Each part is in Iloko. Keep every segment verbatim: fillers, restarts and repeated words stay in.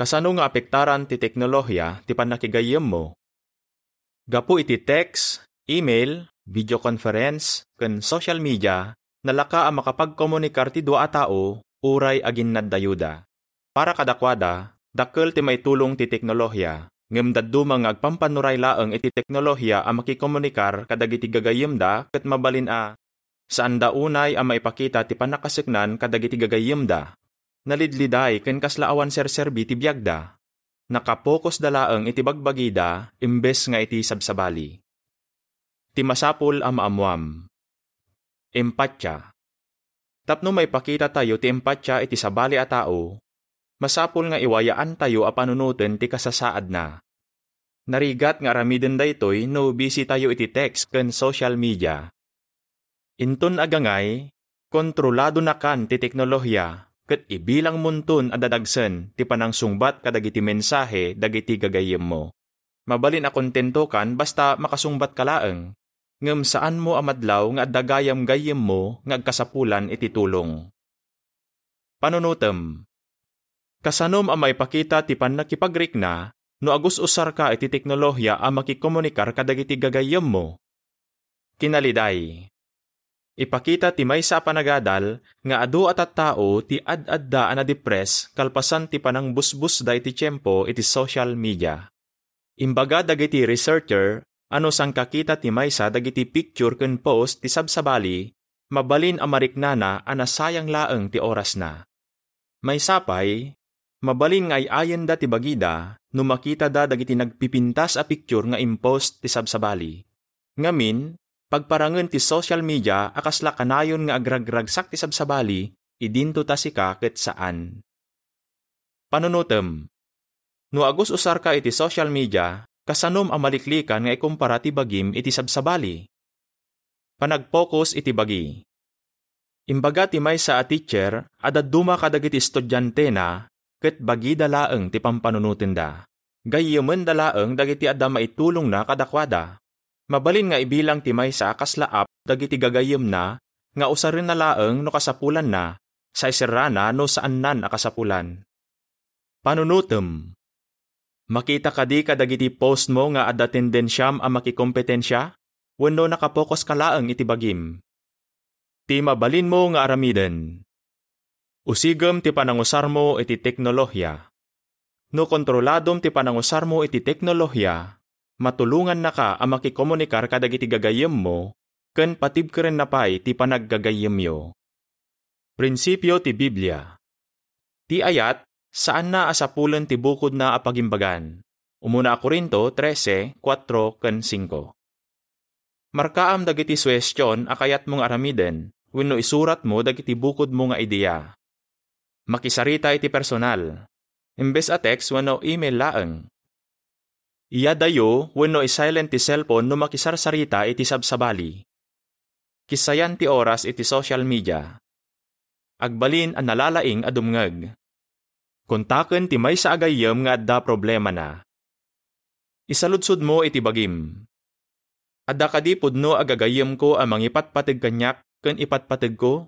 Kasano nga apektaran ti teknolohiya ti pannakigayyemmo? Gapu iti text, email, video conference, ken social media, nalaka a makapagkomunikar ti dua a tao uray aginnaddayuda. Para kadakuada, dakkel ti maitulong ti teknolohiya, ngem dadduma nga agpampannuray laeng iti teknolohiya a makikomunikar kadagiti gagayyemda ket mabalin a saanda unay a maipakita ti pannakaseknan kadagiti gagayyemda. Nalidliday ken kasla awan serserbi ti biagda. Nakapokosda laeng iti bagbagida imbes nga iti sabsabali. Ti masapul a maammuam. Empatia. Tapno maipakitatayo ti empatia iti sabali a tao, masapul nga iwayaantayo a panunoten ti kasasaadna. Narigat nga aramiden daytoy no busy tayo iti text ken social media. Inton agangay, kontroladonakan ti teknolohiya ket ibilangmonton a dadagsen ti panangsungbat kadagiti mensahe dagiti gagayyemmo. Mabalin a kontentokan basta makasungbatka laeng, ngem saanmo a madlaw nga adda gayam-gayyemmo nga agkasapulan iti tulong. Panunotem. Kasanom a maipakita ti pannakipagrikna no agus-usarka iti teknolohiya a makikomunikar kadagiti gagayyemmo? Kinaliday. Ipakita ti maysa a panagadal nga adu a tattao ti ad-adda a nadipres kalpasan ti panangbusbusda iti tiempo iti social media. Imbaga dagiti researcher a no sangkakita ti maysa dagiti picture ken post ti sabsabali, mabalin a mariknana a nasayang laeng ti orasna. Maysa pay, mabalin nga ay-ayenda ti bagida no makitada dagiti nagpipintas a picture nga impost ti sabsabali. Ngamin, pagparangen ti social media a kasla kanayon nga agragragsak ti sabsabali, idinto ta sika ket saan. Panunotem. No agus-usarka iti social media, kasanom a maliklikan nga ikumpara ti bagim iti sabsabali? Panagpokus iti bagi. Imbaga ti maysa a teacher a dadduma kadagiti estudiantena ket bagida laeng ti pampanunotenda. Gayyemenda laeng dagiti adda maitulongna kadakuada. Mabalin nga ibilang ti maysa a kasla app dagiti gagayyemna nga usarenna laeng no kasapulanna, saiserrana no saannan a kasapulan. Panunotem. Makita kadi kadagiti postmo nga adda tendensiam a makikompetensia wenno nakapokuska laeng iti bagim? Ti mabalinmo nga aramiden. Usigem ti panangusarmo iti teknolohiya. No kontroladom ti panangusarmo iti teknolohiya, matulongannaka a makikomunikar kadagiti gagayyemmo ken patibkerenna pay ti panaggagayyemyo. Prinsipio ti Biblia. Ti ayat, saanna a sapulen ti bukodna a pagimbagan. Umuna a Corinto trese, kuatro ken singko. Markaam dagiti suhestion a kayatmo nga aramiden wenno isuratmo dagiti bukodmo nga idea. Makisarita iti personal, imbes a text wenno email laeng. Iyadayo wenno i-silent ti cellphone no makisarsarita iti sabsabali. Kissayan ti oras iti social media. Agbalin a nalalaing a dumngeg. Kontaken ti maysa a gayyem nga adda problemana. Isaludsodmo iti bagim. Adda kadi pudno a gagayyemko a mangipatpateg kaniak ken ipatpategko?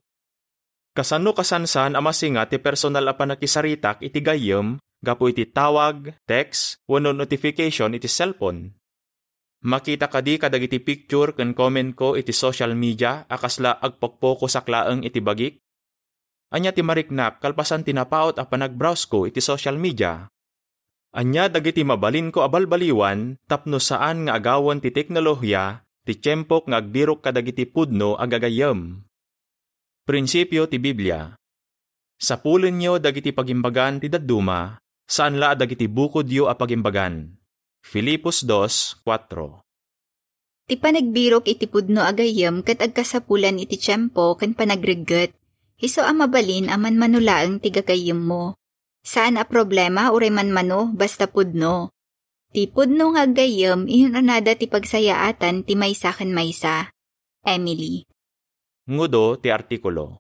Kasano kasansan a masinga ti personal a pannakisaritak iti gayyem gapu iti tawag, text, wenno notification iti cellphone? Makita kadi kadagiti picture ken commentko iti social media a kasla agpokpokosak laeng iti bagik? Ania ti mariknak kalpasan ti napaut a panagbrowsko iti social media? Ania dagiti mabalinko a balbaliwan tapno saan nga agawen ti teknolohiya ti tiempok nga agbirok kadagiti pudno a gagayyem? Prinsipio ti Biblia. Sapulenyo dagiti pagimbagan ti dadduma, saan la a dagiti bukodyo a pagimbagan. Filipos dos, kuatro. Ti panagbirok iti pudno a gayyem ket agkasapulan iti tiempo ken panagregget. Isu a mabalin a manmano laeng ti gagayyemmo. Saan a problema uray manmano, basta pudno. Ti pudno nga aggayyem, inunada ti pagsayaatan ti maysa ken maysa. Emily. Ngudo ti artikulo.